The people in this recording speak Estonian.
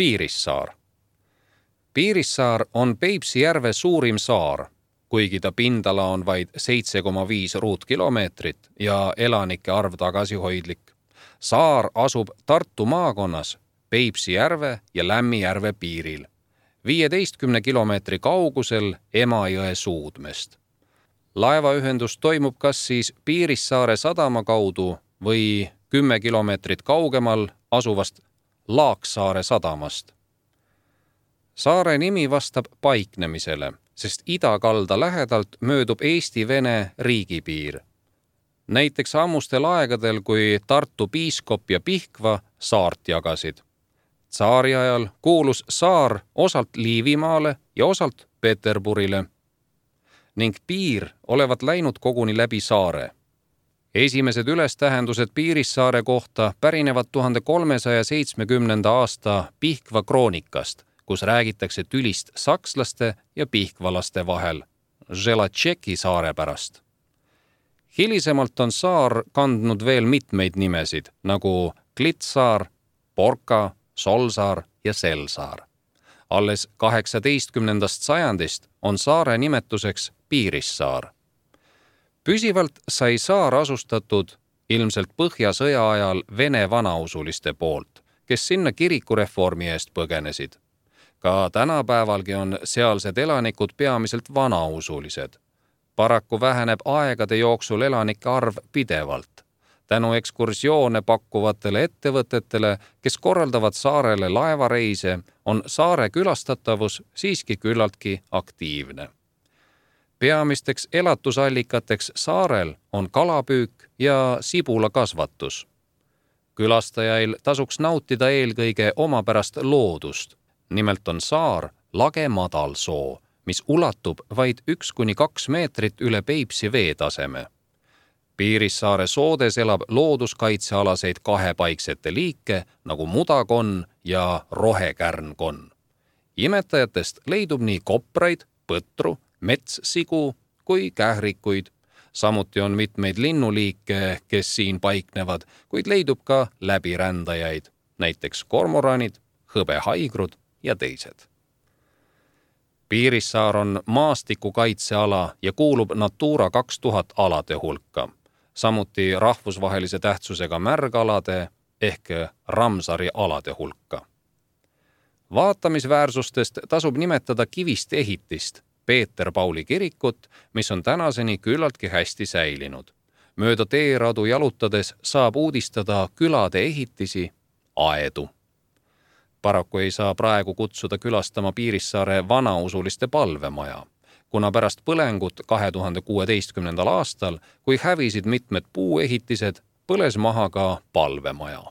Piirissaar. Piirissaar on Peipsi järve suurim saar, kuigi ta pindala on vaid 7,5 ruutkilomeetrit ja elanike arv tagasihoidlik. Saar asub Tartu maakonnas Peipsi järve ja Lämmijärve piiril, 15 kilomeetri kaugusel Emajõe suudmest. Laevaühendus toimub kas siis Piirissaare sadama kaudu või 10 kilomeetrit kaugemal asuvast Laaksaare sadamast. Saare nimi vastab paiknemisele, sest idakalda lähedalt möödub Eesti-Vene riigipiir. Näiteks ammustel aegadel, kui Tartu piiskop ja Pihkva saart jagasid. Tsaari ajal kuulus saar osalt Liivimaale ja osalt Peterburile ning piir olevat läinud koguni läbi saare. Esimesed ülestähendused Piirissaare kohta pärinevad 1370. aasta Pihkva kroonikast, kus räägitakse tülist sakslaste ja pihkvalaste vahel, Želatšeki saare pärast. Hilisemalt on saar kandnud veel mitmeid nimesid, nagu Klitsaar, Porka, Solsaar ja Selsaar. Alles 18. sajandist on saare nimetuseks Piirissaar. Püsivalt sai saar asustatud ilmselt Põhjasõja ajal Vene vanausuliste poolt, kes sinna kirikureformi eest põgenesid. Ka tänapäevalgi on sealsed elanikud peamiselt vanausulised. Paraku väheneb aegade jooksul elanike arv pidevalt. Tänu ekskursioone pakkuvatele ettevõtetele, kes korraldavad saarele laevareise, on saare külastatavus siiski küllaltki aktiivne. Peamisteks elatusallikateks saarel on kalapüük ja sibulakasvatus. Külastajail tasuks nautida eelkõige omapärast loodust. Nimelt on saar lage madalsoo, mis ulatub vaid 1–2 meetrit üle Peipsi veetaseme. Piirissaare soodes elab looduskaitsealaseid kahepaiksete liike nagu mudakonn ja rohekärnkonn. Imetajatest leidub nii kopraid, põtru, metssigu kui kährikuid. Samuti on mitmeid linnuliike, kes siin paiknevad, kuid leidub ka läbirändajaid, näiteks kormoranid, hõbehaigrud ja teised. Piirissaar on maastikukaitseala ja kuulub Natura 2000 alade hulka, samuti rahvusvahelise tähtsusega märgalade ehk Ramsari alade hulka. Vaatamisväärsustest tasub nimetada kivist ehitist, Peeter-Pauli kirikut, mis on tänaseni küllaltki hästi säilinud. Mööda teeradu jalutades saab uudistada külade ehitisi, aedu. Paraku ei saa praegu kutsuda külastama Piirissaare vanausuliste palvemaja, kuna pärast põlengut 2016. aastal, kui hävisid mitmed puuehitised, põles maha ka palvemaja.